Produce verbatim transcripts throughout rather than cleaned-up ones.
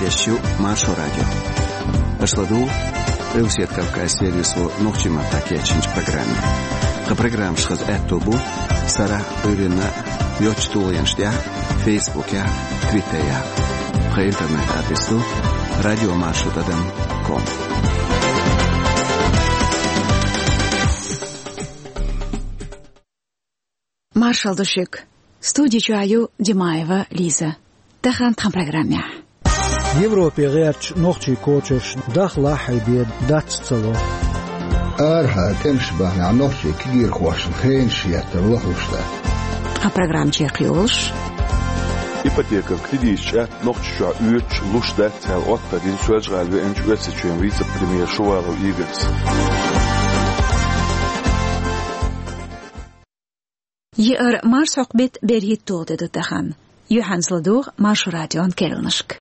Эфирехь ю Маршо радио. Аша ладугӀу Къилбаседа Кавказан сервисо нохчийн маттахь кечйинчу программе. Тхан программаш хаза аьтто бу сарахь а, Ӏуьйранна а йоцачу тулгӀенаш тӀехь а, Фейсбукехь а, Твиттерехь а. Тхан интернет-адрес ду радио маршо тӀадам ком. Маршалла ду шуьга. Студи чохь ю Димаева Лиза. Тахана тхан программехь. Европе гӀертачу нохчийн кочарш дахлахь а бен дац ца ло. Арахьара тӀемаш бахьанехь нохчийн кегийрхошна хенаш еттар лахуш дац. Тхан программа чекхйолуш. Ипотекан кредиташ чӀагӀ Нохчийчохь оьцуш луш дац аьлла, оттар дина Соьлжа-ГӀала веанчу Оьрсийчоьнан вице-премьера Шувалов Игорьс. Еара марсхьокху беттан берхӀитталгӀа де ду тахана. Юьхьанца ладугӀу Маршо радион керланашка.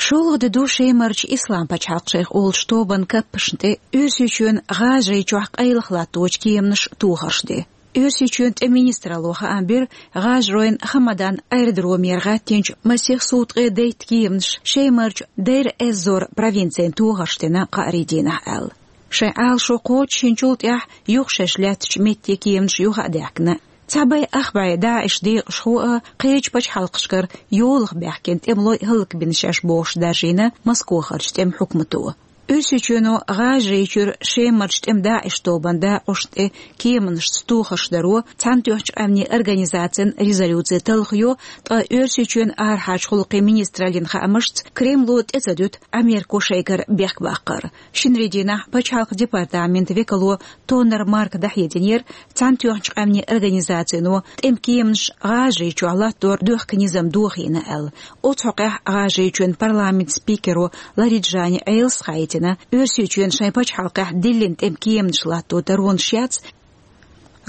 ШолгӀа де ду Шемарчу Ислам-пачхьалкх шайх олучу тобанан каппашна тӀе Оьрсийчоьнан ГӀажарийчохь къайлаха латточу кеманаша тохарш де. Оьрсийчоьнан тӀеман министралло хаам бира, ГӀажаройн Хамадан аэродромера гӀаьттинчу масех суткъе дейтта кеманаш Шемарчу Дейр-эз-Зор провинцина тохарш дина кхаарин дийнахь аьлла. Шайн Ӏалашо кхочушйинчул тӀаьхьа юха шаьш лаьттачу метте кеманаш юха а даьхкина. Цхьа бӀе ах бӀе ДАИШ декъашхо а, кхечу пачхьалкхашкара йолах баьхкина тӀемалой а хӀаллакбина шаьш бохуш даржийна Москохарчу тӀеман хьукмато. Оьрсийчоьно ГӀажарийчуьра Шемарчу тӀеман ДАИШ тобанан дакъошна тӀе кеманашца тохарш даро Цхьаьнатоьхначу Къаьмнийн Организацин резолюци талхайо, ткъа Оьрсийчоьнан арахьарчу гӀуллакхийн министраллин хаамашца Кремло тӀе ца дуьту Америко шайгара бехк баккхар. Шинарин дийнахь пачхьалкхан департаментан векало Тоннер Марка дӀахьединера, Цхьаьнатоьхначу Къаьмнийн Организацино тӀеман кеманаш ГӀажарийчохь латтор доьхка низам дохийна аьлла. Оцу хьокъехь ГӀажарийчоьнан парламентан спикеро Лариджани Ӏелас хаийтина, Оьрсийчоьнан шайн пачхьалкхехь диллина тӀеман кеманаш латто даронаш яц,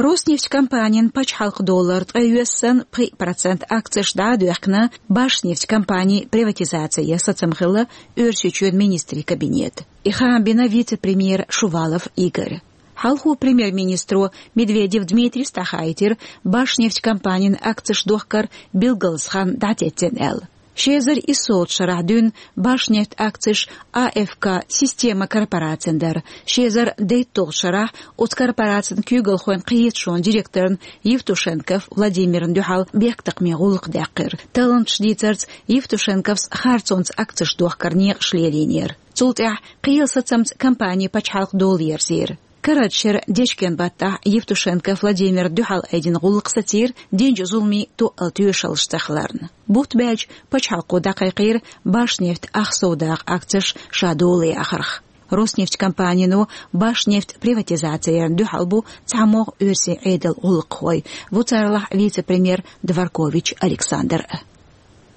Роснефть компанин пачхьалкхан долара ткъе йоьссан пхиъ процент акцеш дӀа а доьхкина, Башнефть компанин приватизацин сацам хилла Оьрсийчоьнан министрийн кабинетан. И хаам бина вице-премьера Шувалов Игорь. Хьалхо премьер-министро Медведев Дмитрийс дӀахаийтира Башнефть компанин акцеш дохкар билгалза хан дӀатеттина аьлла. Ши эзар иссолгӀачу шарахь дуьйна Башнефть акцеш А Ф К система корпорацин дара. Ши эзар дейтталгӀачу шарахь оцу корпорацин куьйгалхойн кхеташонан директорна Евтушенков Владимирна дуьхьал бехктакхамийн гӀуллакх даьккхира. Талланташ дийцарца Евтушенковс харцонца акцеш дохкар некъаш лелийнера. Цул тӀаьхьа кхелан сацамца компани пачхьалкх долаерзийра. Карарчу шеран дечкен баттахь Евтушенков Владимирна дуьхьал айдина гӀуллакх сацийра, динчу зуламийн тоъал тоьшаллаш ца хиларна. Бутт баьлча, пачхьалкхо дӀакхайкхийра Башнефть ах сов дакъа акцеш ша дола яхарх. Роснефть компанино Башнефть приватизаци ярна дуьхьал бу цхьамогӀа оьрсийн Ӏедалан гӀуллакххой, ву царалахь вице-премьер Дворкович Александр а.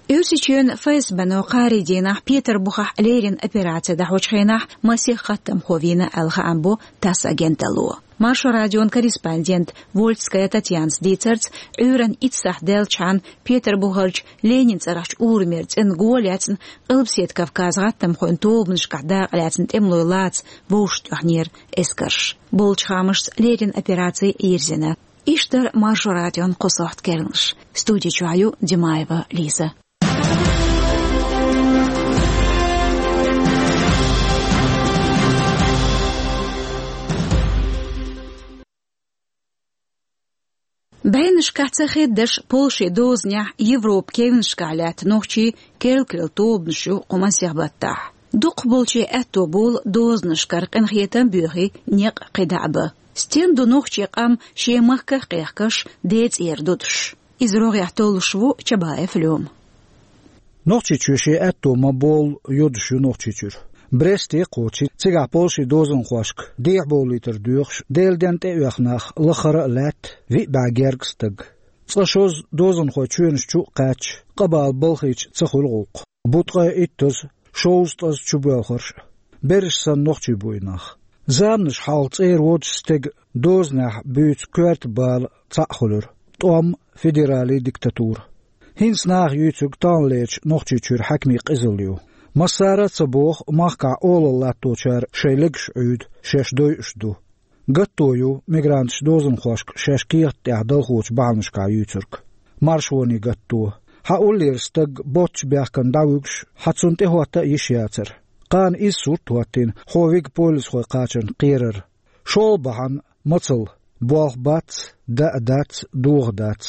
Оьрсийчоьнан ФСБ-но кхаарин дийнахь Петарбухехь леррина операци дӀахьочу хенахь масех хаттамхо вийна аьлла хаам бо ТАСС агенталло. Маршо радион корреспондента Вольская Татьянас дийцарца, Ӏуьйранна итт сахьт даьллачхьана Петарбухерчу Ленинан цӀарахчу урамера цӀена го а лаьцна, Къилбаседа Кавказан гӀаттамхойн тобанашкахь дакъалаьцна тӀемалой лаца вовшахтоьхнера эскарш. Болчу хаамашца, леррина операци йирзина. Иштта дара Маршо радион кху сохьта керланаш. Студи чохь ю Димаева Лиза. БӀеннашкахь ца хеддаш, Польшин дозанехь Европан кевнашкахь лаьтта нохчий керла-керла тобанаш ю кху масех баттахь. Дукхахболчийн аьтто болу дозанашкара къинхетам а боьхий, некъ кхидӀа а бан. Стен ду нохчийн къам шен махках а кхехкаш, ден цӀера дудуш? Иза рогӀехь толлуш ву Чабаев Лёма. Нохчийчоь шен аьтто ма боллу йодуш ю Нохчийчуьра. Бресте а кхочий, цигахь Польшин дозанхошка дехьабовлийтар доьхуш, Делан денна тӀеоьху нах лахара а лаьтта, виъ бӀе гергга стаг. Цкъа-шозза дозанхой чоьнаш чу а кхаьчча, къа бала балхийча ца хуьлу гӀуллакх. Бу ткъе иттаза, шовзткъаза чубоьлхурш а. Берриш санна нохчий бу и нах. Заманаш хьалха цӀера водучу стеган дозанехь буьйцу коьрта бала цхьаъ хуьлура: тӀом, федералан диктатура. ХӀинца наха юьйцург таханлерчу Нохчийчуьра хьаькамийн къизалла ю. Массара а ца боху махкахь олалла латточара шайн легаш Ӏуьйду, шаьш дойуш ду. Гатто ю мигранташ дозанхошка шаьш кехат тӀехь далхочу бахьанашкахь юьйцург. Маршонан гатто. Хьан уллера стаг боццу бехкана дӀавуьгуш, хьан цунна тӀехӀотта а йиш яцара. Кхана иза сурт а хӀоттийна, хьо вига полисхой кхачарна кхерар. ШолгӀа бахьана мацалла: болх бац, даа дац, доха дац.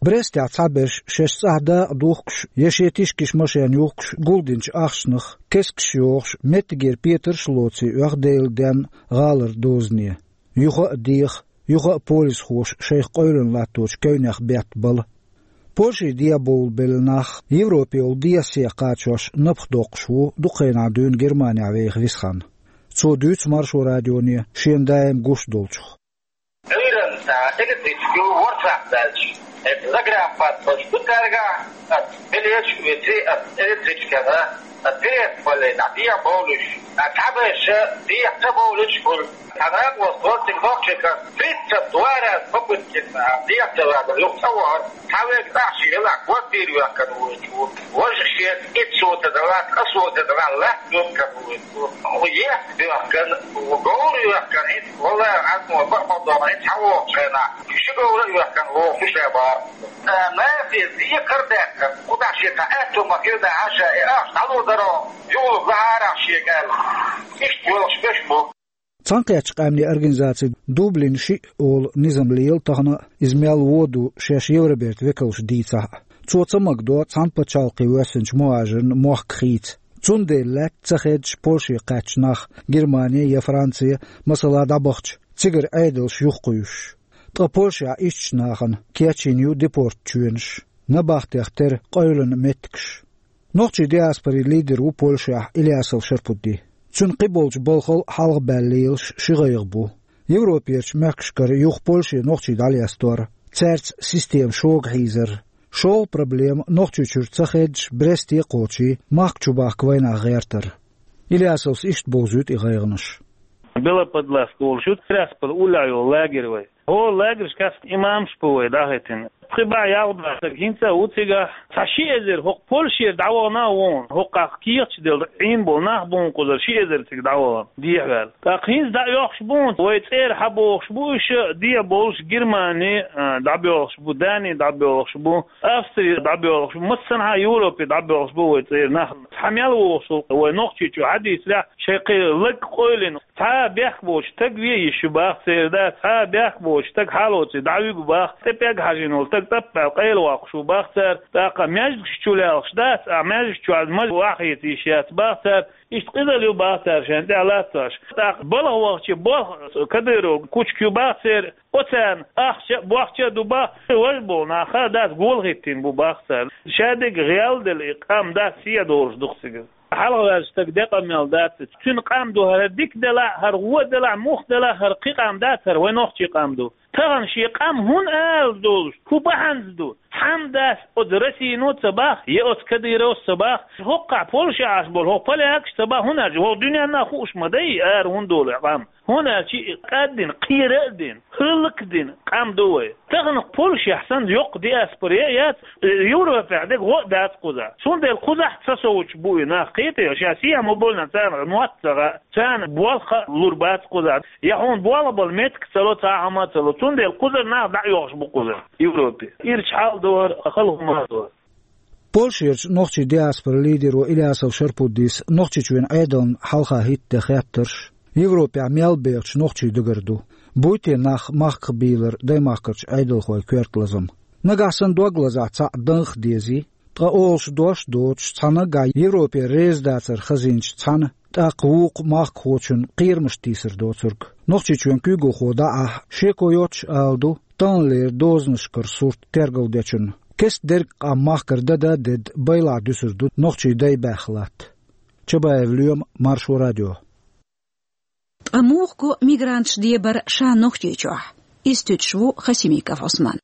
Брестехь цхьаберш шаьш цӀахь дакъа духкуш я шен тишкиш машен юхкуш гулдинчу ахчанах кескаш йохуш, меттигера петарш а лоций оьху Делан денна гӀалара дозане. Юха а деха, юха а полисхоша шайх къевлина латточу кевнех бетта бала. Польши дӀабовлабелла нах Европе йолу дехьа-сехьа кхачош напха доккхуш ву дукха хенахь дуьйна Германехь веха Висхьан. Цо дуьйцу Маршо радионе шена даим гуш долчух. Ӏуьйранна электричка ю ворхӀ сахьт даьлча, загранпаспорт ду цаьргахь, ас билеташ а вици, ас электричкана, ас билет баллина дехьа бовлуш, а цхьаберш дехьа ца бовлуш хуьлу. Цхьа накъост вара цига нохчийн кӀант, тридцать два раза попытки, дехьа ца вагар, юха цӀа вахара. Цхьа вега тӀехь шен елахь квартира йоьхкана вуьйцу. Важа шен иццо ца далахь, кӀасо ца далахь, лаьтта йоьхкана вуьйцу. Ехк доьхкана, говр йоьхкана, хӀинца, валлахӀи, хьан ма бакъ ма догӀу, хӀинца хьан вохучу хенахь, ши говра а йоьхкана воху ша бара. Нахе декхар а даьккхина, кху тӀехь шен цхьа аьтту ма хир даьхьа ша, и ахча дӀалур даро, юхалург лахьарахь шега аьлла. Иштта йолуш берш бу. Цхьаьнакхеттачу къаьмнийн организацин Дублин шиъ олу низам лела тахана а, иза мел вон ду шаьш Евробертан векалша дийцахь а. Цо ца магадо цхьана пачхьалкхе воьссинчу мухӀажарна мохк хийца. Цундела лаьтта ца хеддаш Польше кхаьчча нах Германе я Франце, масала, дӀабахча, цигара Ӏедалш юхакхуьйсуш. Ткъа Польшехь ишттачу нахана кечйина ю депорт чоьнаш, набахтех тера къевлина меттигаш. Нохчийн диаспорин лидер ву Польшехь Ильясов Шарпудди. Цуьнан кхиболчу балхал хьалхабаьлла лелаш ши гӀайгӀа бу. Европерчу мехкашкара юха Польше нохчий дӀалестор, цаьрца система шога хьийзар. ШолгӀа проблема Нохчийчуьра ца хеддаш Бресте а кхочий, махка чубахка вайнах гӀертар. Ильясовс иштта бовзуьйту и гӀайгӀанаш. Белоподласка олуш ю Тирасполь уллехь йолу лагерь вай. ХӀокху лагершкахь имамаш бу вай дӀахӀиттина. Пхи бӀе ялх бӀе стаг хӀинца а ву цигахь. Цхьа ши эзар хӀокху Польшера дӀавахана а ву, хӀокхахь кехаташ делла Ӏийна болу нах бу кхузара, ши эзар цига дӀавахана, дехьаваьлла. ТӀаккха хӀинца дӀа а йоккхуш бу, вай цӀера хьан бохуш бу, уьш а дехьа болуш Германи, а, дӀабоьлхуш бу, Дани дӀабоьлхуш бу, Австри дӀабоьлхуш бу, массанхьа Европе дӀабоьлхуш бу вай цӀера нах. Цхьа мел вохуш ву вай Нохчийчу хьадийцарехь, шайн кхин лаг къевлина. Цхьа а бехк боцу стаг ве йиш ю бах церан, да, цхьа а бехк боцу стаг хьалоций дӀавуьгу бах, тӀе пӀелг хьажийна волу стаг тӀаппаьлла къайлавоккхуш ву бах цара, тӀаккха маьждигаш чу лаьлхаш дац, а маьждиг чу маза вахийта йиш яц бах цара, иштта къизалла ю бах цара шайна тӀехь латтош. ТӀаккха балха вахча болх Кадыров кучка ю бах церан, оцарна ахча а, бохча а ду бах, важа болу нах хаа дац, гола хӀиттийна бу бах царна. Шадерг гӀелделла и къам дац, сий долуш ду-кх цигара. Хьалхаваьллачу стага де къамел дац. Цуьнан къам ду хӀара дика делахь, хӀара вон делахь, мух делахь, хӀара кхин къам дац, хӀара вай нохчийн къам ду. Тахана шен къам хӀунда ала долуш, хӀун бахьанца ду? Хьамдас оцу Россино ца бах, я оцу Кадыровс ца бах, хӀокхахь Польше Ӏаш болу хӀокху полякаш ца бах, хӀунда аьлча хӀокху дуьненна хууш ма дай ара хӀунда долу къам. ХӀунда аьлча и кӀаддина, кхера а дина, хӀаллакдина къам ду вай. Тахана Польшехь санна йоккха диаспора а яц, Европехь дерг гӀо а дац кхузахь. Цундела кхузахь ца совцуш бу и нах, кхетий, ша сема боллина царна мотт ца гӀа, царна болх а лур бац кхузахь. Я хьуна болх бала меттиг ца ло, цхьа хӀума а ца ло. Цундела кхузара нах дӀа а йохуш бу кхузара Европе. Ирча хьал а ду хӀара, хала хӀума а ду хӀара. Польшерчу нохчийн диаспоран лидеро Ильясов Шарпуддис Нохчийчоьнан Ӏедална хьалха хӀиттаде хеттарш Европехь мел бехачу нохчийн дагара ду. Буй те нах махках бийлар даймахкарчу Ӏедалхойн коьрта лазам? Нагахь санна дог лазахь цхьаъ данхах дезий, ткъа олуш дош а доцуш, цхьана наггахь Европе реза дацар хазийначу цхьана, тӀаккха вукху махкахочун кхерамаш тийсар доцург. Нохчийчоьнан куьйгалхо дӀа а ахь, шеко йоццуш ала ду, таханлера дозанашкара сурт тергалдечунна. Кеста дерг къам махкара дада а дедда, байлахь дуьсур ду нохчийн дай баьхна латта. Чабаев Лоьма, Маршо радио. Ткъа муха го мигранташ дебар ша Нохчийчохь? Иза туьтуш ву Хасимиков Ӏусман.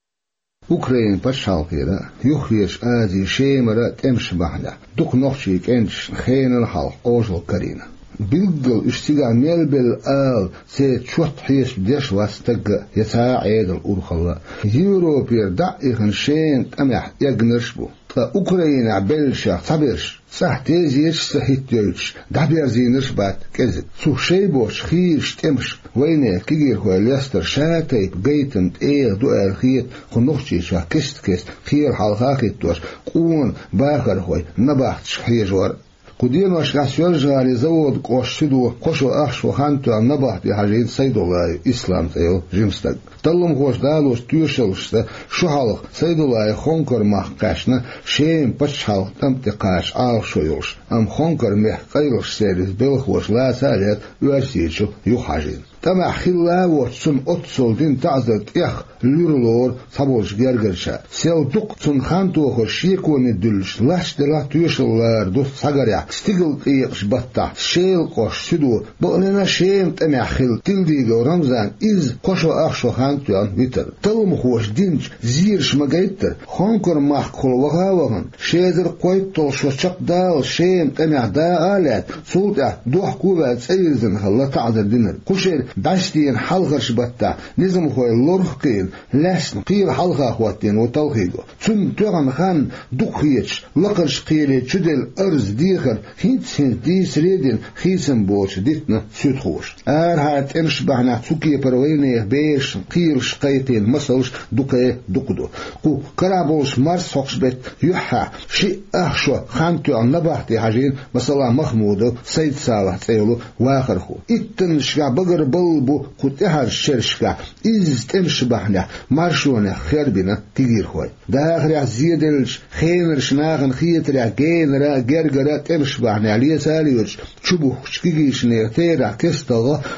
Украинан пачхьалкхера, Юххерчу Азин Шемара тӀемаш бахьанехь дукха нохчийн кӀенташна хенал хьалха Ӏожалла карийна. Билггал уьш цигахь мел белла ала церан чот хьесап деш вац стаг а, я цхьа а Ӏедалан урхалла а. Европера дӀа а ихна, шена тӀамехь эгнарш а бу. Ткъа Украинехь беллачех цхьаберш ЦӀахь тезеташ а ца хӀиттайойтуш, дӀаберзийнарш а бац кӀезига. Цу шоай боцчу хийрачу тӀемаша вайнехан кегийрхой лестар шатайпа гайтам тӀегӀа ду аьлла хета кху Нохчийчохь кест-кеста кхеле хьалха а хӀиттош, къона бахархой набахташка хьежор а. Кху деношкахь Соьлжа-ГӀалин Заводан кӀоштан суьдо кхо шо ах шо хан тоьхна набахте хьажийна Сайдуллаев Ислам цӀе йолу жима стаг. Талламхоша далочу тоьшаллашца, шу хьалха Сайдуллаев Хонкар-махка кхаьчна, Шеман пачхьалкхан тӀам тӀе кхача Ӏалашо йолуш, амма Хонкар-мехкан къайлахчу сервисан белхахоша лаца а лаьцна, Оьрсийчу юхахьажийна. ТӀамехь хилла а воцуш, цунна оццул дина таӀзар тӀех луьра лору цхьаболчу гергарчара. Сел дукха цунна хан тохар шеконе дуьллуш лач делахь а, тоьшалла лара ду схьагарехь, стигалкъекъачу баттахь Шелан кӀоштан суьдо, бакъдолуш Шеман тӀамехь хилла Тилдигов Рамзан изза кхо шо ах шо хан тоьхна витар. Талламхоша динчу зераша ма-гайттара, Хонкар-махкахула ваха а вахана, ши эзар кхойтталгӀа шо чекхдаллалц Шеман тӀамехь дакъа а лаьцна, цул тӀаьхьа дохко а ваьлла цӀа вирзина хилла таӀзар динарг. Кху шеран дӀасадеана хьалхарчу баттахь низамхой лорах а кхиъна, лаьцна кхеле хьалха хӀоттийна ву талхийго. Цунна тоьхна хан дукха хеташ, лакхарчу кхеле чуделла арз, дехар хӀинцца-хӀинцца дийцаре а дина, хийцам боцуш дитина суьдхоша. Арахьара тӀемаш бахьанехь цу кепара вайнехан берашна кхелаш кхайкхийна масалш дукха-дукха ду. Кху карахь болчу марсхьокху беттан юьххьехь шиъ ах шо хан тоьхна набахте хьажийна, масала, Махмудов Сайд-Салахь цӀе йолу вахархо. Иттаннашкахь багарбалла бу кху тӀаьхьарчу шерашкахь изза тӀемаш бахьанехь маршонех хербина кегийрхой. Дахарехь зеделлачу хенарчу нахана хетарехь, генара а, гергара а тӀемаш бахьанехь леца а лоьцуш, чубухкучу кегийчу нехан терахь кестта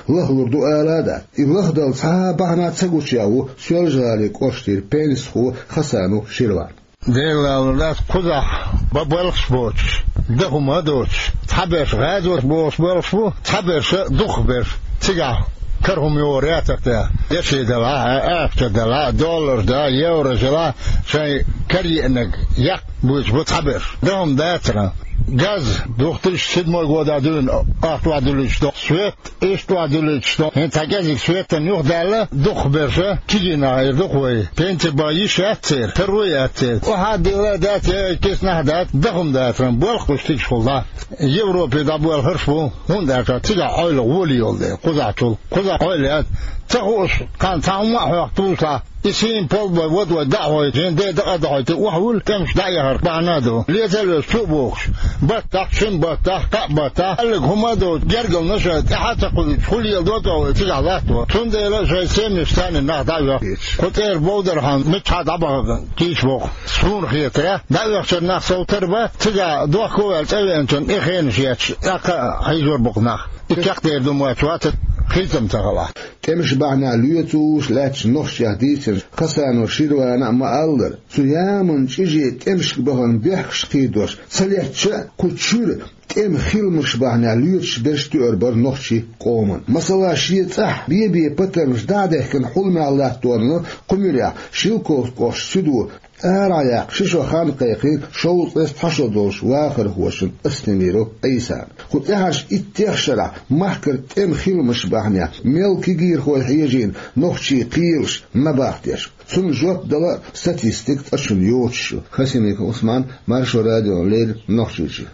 лахлур ду ала а дац. И лахдала цхьа а бахьана ца гучуян ву Соьлжа-ГӀалин кӀоштара пенсихо Хасанов Ширван. Дела лалур дац, кхузахь бан балхаш боцуш, дан хӀума а доцуш, цхьаберш гӀазот бохуш балхаш бу, цхьаберш а дукхахберш. Цигахь кара хӀума йогӀур яцара те? Деши делахь а, ахча делахь а, долларш делахь а, еврош делахь а, шайн караеанарг яккха буьйцуш бу цхьаберш. Дан хӀума дацара. Газ две тысячи седьмой годахь дуьйна ахча охьадуьллуьйтуш ду. Свет иштта охьадуьллуьйтуш ду. ХӀинца цхьа кӀезиг светана юхадаьлла, дукхахберш а кегий нах эр ду-кх вай. Пенси бан йиш яц церан, таро яц церан. Охьа а дилла дац, я киснахь а дац, дан хӀума дацара, балхаш бу стигашхула дӀа. Европе дӀабоьлхурш бу, хӀунда аьлча цигахь Ӏойла гӀоли йолу дела, кхузахьчул. Кхузахь Ӏойла яц. Ца хууш, кхана цхьа хӀума а хьоьху тулсахь, и сийна полбой вад вай дӀа а хьойту, шен ден дакъа а дахьойту, охьавуьллу тӀемаш дӀа а яхарх бахьана а ду. Лецаллаш чу а бохуш, баттахь, шина баттахь, кхаа баттахь, кхоьллиг хӀума а доцуш, гергара наша тӀаьхьа а ца кхуьуьйтуш, хӀун леладо тӀе вай цигахь латто. Цундела шайн семьяш царна нах дӀа а оьху. Кху цӀера бовдархьама миччахьа дӀабахарна кийча боху. Суна хетарехь, дӀаоьхучара нах сов тара бан, цигахь дохко а ваьлла цӀа веанчунна и хенаш етташ, тӀаккха а хьийзор бу-кх нах. И чекхдер ду моьттуш вац, хийцам ца хилахь. ТӀемаш бахьанехь лоьцуш лаьттачу нохчех дийцинчу Хасанов Ширвана а ма-аллара, цу яманан чӀиже тӀемашка бахана бехкаш кхийдош ца леттача а, кху чуьра тӀеман хиламаш бахьанехь лоьцуш берш тоьар бара нохчийн къоман. Масала, шен цӀахь бен-бен патармаш дӀа а дехкина хьуламехь латторна кху муьрехь Шелковски кӀоштан суьдо арахь яккха ши шо хан кхайкхийна шовзткъе цхьа шо долчу вахархочун Астемиров Ӏийсан. Кху тӀаьхьарчу иттех шарахь махкара тӀеман хиламаш бахьанехь мел кегийрхой хьежийна нохчийн кхелаш набахтешка. Цунна жоп дала а статистика цкъачунна йоцуш ю. Хасимиков Ӏусман, Маршо радиона леррина, Нохчийчоь.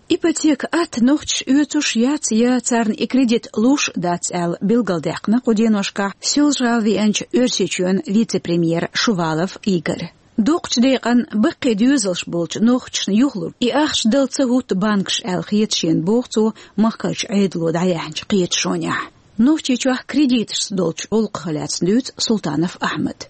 Ипотека атта нохчаша оьцуш яц я царна и кредит луш а дац аьлла билгалдаьккхина кху деношкахь Соьлжа-ГӀала веанчу Оьрсийчоьнан вице-премьера Шувалов Игоря. Доккхачу декъана баккхий доьзалш болчу нохчашна юхалур и ахча дала ца хӀутту банкаш аьлла хета шена, боху цо махкарчу Ӏедало дӀаяьхьначу кхеташонехь. Нохчийчохь кредиташца долчу гӀуллакхах лаьцна дуьйцу Султанов Ахьмада.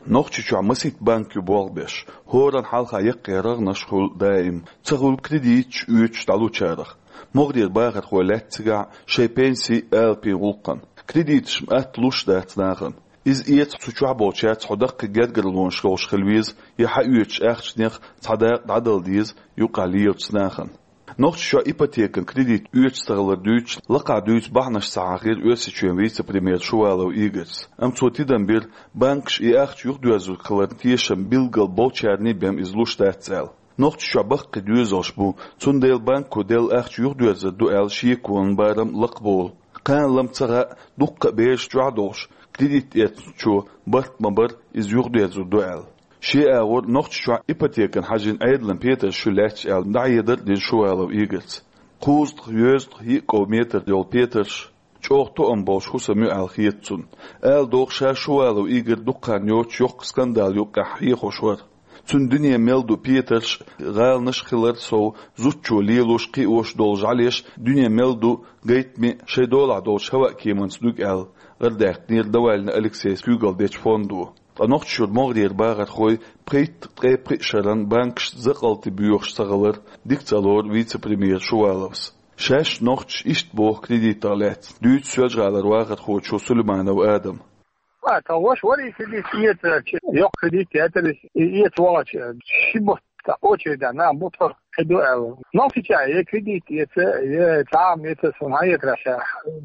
Нохчийчохь масийтта банк ю болх беш, хӀоранна хьалха яккхий рогӀанаш хуьлу даим, ца хуьлу кредиташ оьцуш дӀалучарах. МогӀарера бахархой лаьтта цигахь шайн пенсийн, алапийн гӀуллакхна. Кредиташ-м атта луш дац нахана. Иза эца цу чохь болчаьрца хьо даккхий гергарлонаш йолуш хила веза, я хьан оьцучу ахчанех цхьа дакъа дӀадала деза, юкъахь лелачу нахана. Нохчийчохь ипотекан кредит оьцуш ца хилар дуьйцуш, лакхахь дуьйцу бахьанаш ца хьахийра Оьрсийчоьнан вице-премьера Шувалов Игорьс. Амма цо тидам бира, банкаша и ахча юхадоьрзург хиларна тешам билггал болчарна бен иза луш дац аьлла. Нохчийчохь баккхий доьзалш бу, цундела банко делла ахча юхадоьрзур ду аьлла шеконан барам лакхабовлу. Кхана лам ца хаьа, дуккха а бераш чохь а долуш, кредит эцначо барт ма-барра иза юхадоьрзур ду аьлла. Шен агӀор Нохчийчохь ипотекана хьажийна Ӏедалан петарш ю лаьтташ аьлла, дӀахьедар а дина Шувалов Игорьца. Кхузткъа, йоьзткъа, йиъ ков метр йолу петарш чӀогӀа тоам болуш хӀусам ю аьлла хета цунна. Ала догӀу, ша Шувалов Игорь дукха хан йоцуш йоккха скандал юккъехь хьехош вара. Цуьнан дуьне мел ду петарш а, гӀаланаш а хилар а сов, зудчо лелош, кхиош долу жӀаьлеш дуьне мел ду гайтаме а, шайн долахь долчу хӀаваъ-кеманца дуьгу аьлла, гӀарадаьккхинера Навальный Алексейс куьйгалла дечу фондо. Ткъа Нохчийчуьра могӀарера бахархой пхийтта-ткъе пхи шарна банкашца закъалтий боьхуш ца хилар дика ца лору вице-премьера Шуваловс. Шаьш нохчаша иштта боху кредитах лаьцна, дуьйцу Соьлжа-ГӀалара вахархочо Сулейманов Адама. А, тхан ваша вара и кредит эца, йоккха кредит яцара, и эца вахча, ши бутт очередь нах бу тхо хи ду аьлла. Нохчийчохь я кредит эца, я цхьа а эца, суна хьан эцара ша.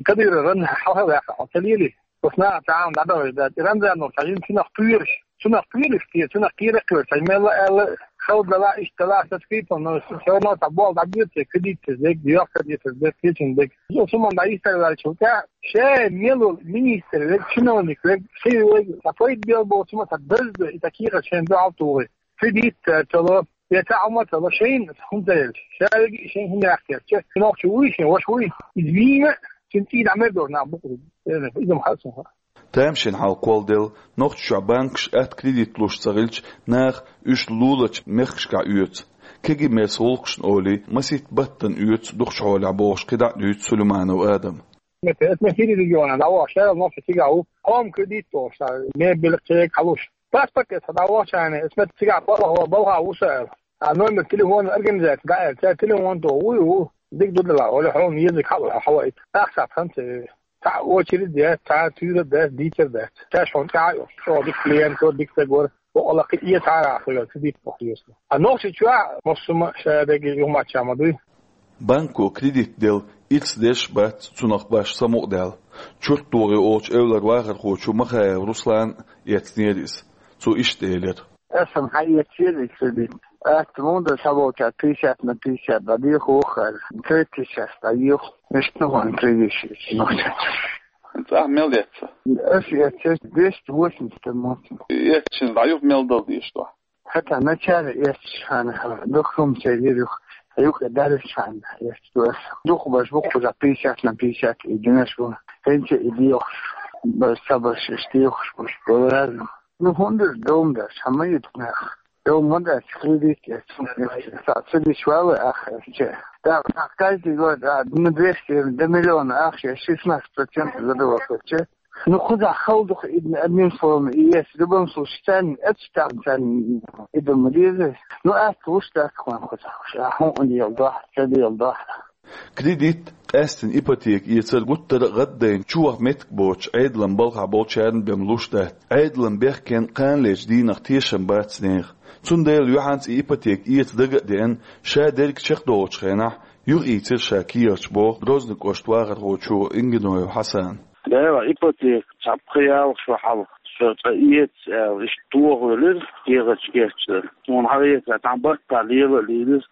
Кадыров Рамзан хьалха ваьккхина, хьо ца лели? Оцу наха цхьа а дӀадахьаш дац. И Рамзанов цхьа жима цунах кхоьруш, цунах кхоьруш те, цунах кхера а кхоьруш, цхьа мелла аьлла, хала дала, иштта дала, со скрипом, но всё равно цхьа болх дӀабоьду те, кредит эца дерг, йоккха кредит эца дерг, кечун дерг. Со цу ма дӀа йистар ваьлча, ша мел волу министр верг, чиновник верг, ши верг, цхьа пайда бел боцу ма цхьа дазда, и цхьа кехат шайна дуьхьал тухий. Кредит, э, ца ло, я цхьа хӀума ца ло, шайна хӀума ца елча. Ша верг и шайна хӀума яхкерча, нохчо вуй шен, ваша вуй, иза вийна, цуьнан цӀий дӀа мер дора нах букъу. Иза ма хаьа суна. Тамашийна хьал кхолладелла, Нохчийчохь банкаш атта кредит луш ца хилча, наха уьш лулачу мехкашкахь оьцу. Кегий-мерса гӀуллакхашна олий, масийтта баттана оьцу дукхачу хьолехь бохуш кхидӀа а дуьйцу Сулейманов Адама. Метта, эс ма хӀирий региона дӀавахча, шаьрал нохча цигахь ву, хоум кредит тохуш, мебель, кхега хьалуш. Паспорт эца дӀавахча, эс метта цигахь балха, балха ву со аьлла. А номер телефона организация дӀааьлла, цара телефон тоху, вуй ву, дика ду дела, оли хьуна езиг хьала хьаваийта. Ахча хан ца веве. Цхьа очередь дац, цхьа туьйра дац, дийцар дац. Шаьш хьуна тӀаьхьа йо, чӀогӀа дика клиент ву, дика стаг вара, бакъалла кхин а цхьа а хуьлу, кредит боху еза. А Нохчийчохь массо а ма ша дерг юхаматча ма дуй. Банко кредит делла ирс деш а бац цунах баш самукъадаьлла. Чурт догӀий олучу эвлара вахархочо Махаев Руслана эцнера иза. Цо иштта элира. Аса-м хьаэцчера и кредит. Атта муха ду, схьаболчара пятьдесят на пятьдесят дӀадехо вахара. Третий час дӀайоху. Иштта ну ван кредит шийтта нохча. ХӀинца ахь мел эцна? Аса эцча двести восемьдесят мотт. Эцча дӀаюху мел дала дезаш ду? ХӀета начале эцча хьан, дохумцей вирюх, юха дарис хьан эцча. Духу баш бу кхуза пятьдесят на пятьдесят и динаш бу. ХӀинца и дехуш, баш ца баш, иштта дехуш бу. Ну, хӀунда дом даш, хьан ма йиту нах. Дом ма дац, кредит эцна. Ца диш вала ах эцча. Да, каждый год, а, на двести, до миллиона ах, шестнадцать процентов задавал эцча. Ну, кхузахь хала ду-кх и, одним словом, и эс, в любом случае, царна эцча тахна царна и ду ма деза. Ну, атта луш дац-кх вайн кхузахь, ша хьуна леладохьа, ца леладохьа. Кредит, къаьстина ипотека эцар гуттар а гӀаддайна чуваха меттиг боцуш, Ӏедалан балхахь болчарна бен луш дац. Ӏедалан бехкенна кханалерчу дийнах тешам бац нехан. Цундела юьхьанца и ипотека эца дага а деана, ша дерг чекхдолучу хенахь, юхаийцира ша кехаташ, боху Грозный кӀоштан вахархочо Ингиноев Хьасана. Дела, ипотека цхьа пхи-ялх шо хьалха со цкъа эца аьлла, иштта тохавелира, кехаташ кечдара. Суна хьаэца, цхьана баттахь лела а лелира,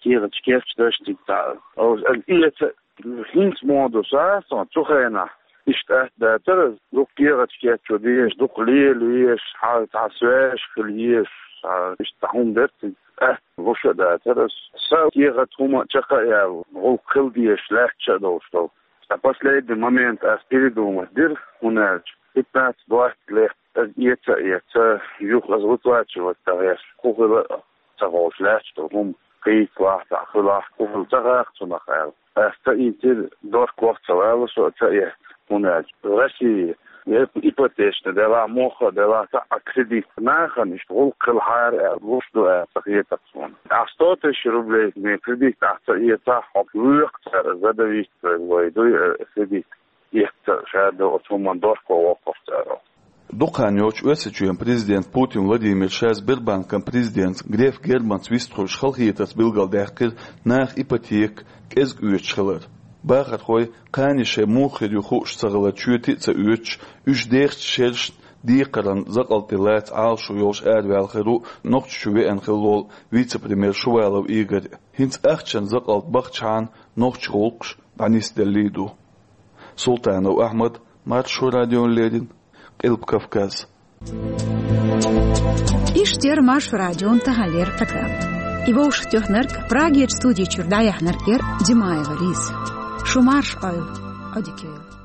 кехаташ кечдара, цига цхьа. Аса эца, хӀинца ма ду сан, цу хенахь иштта атта дацара, дукха кехаташ кечо дезаш, дукха лела везаш, хьан цхьа связь хила езаш, цхьа иштта хӀума дара цига. Атта луш а дацара аса. Сан кехат хӀума а чекх а яьлла, гӀуллакх хила дезаш лаьтташ а долуш долу. Ткъа последний момент ас передумать дира, хӀунда аьлча пятнадцать-двадцать лет аса эца а эца, юха аса выплачивать дан гӀерташ, хӀун хила а ца ховш лаьтташ долу хӀума, кхийсалахь, цхьаъ хилахь, хӀун хила ца хаьа цунах аьлла. Ас ца ийцира, дохко а ца ваьлла со а ца эцна, хӀунда аьлча Россия, я ипотечный делахь, мохк а делахь, цхьа а кредит нахана иштта гӀуллакх хилахьара аьлла, луш ду аьлла ца хета-кх суна. Ахь сто тысяч рублей кредит ахь ца эцахь, хьо воькху цара, задавить вай дуй, э, кредит. Эцца ша ду оцу хӀуманна дохко воккхуш цара. Дукха хан йоцуш Оьрсийчоьнан президент Путин Владимир ша Сбербанкан президентца Греф Германца вистхуьлуш халахетарца билгалдаьккхира наха ипотека кӀезиг оьцуш хилар. Бахархой, кхане шайн муха хир ю хууш ца хилар, чоьте а ца оьцуш, уьш дехачу шерашна декхаран закъалтий лаца Ӏалашо йолуш араваьлла хир ву Нохчийчу веана хилла волу вице-премьер Шувалов Игорь. ХӀинца ахчан закъалт бахчахьана нохчийн гӀуллакхаш дӀанисделлий ду. Султанов Ахьмад, Маршо радиона леррина, Къилба Кавказ. Иштта яр Маршо радион таханлера программа. И вовшахтоьхнарг, Прагера студи чуьра дӀаяьхьнарг яр Димаева Лиза. Шу марша Ӏойла, Ӏодика йойла.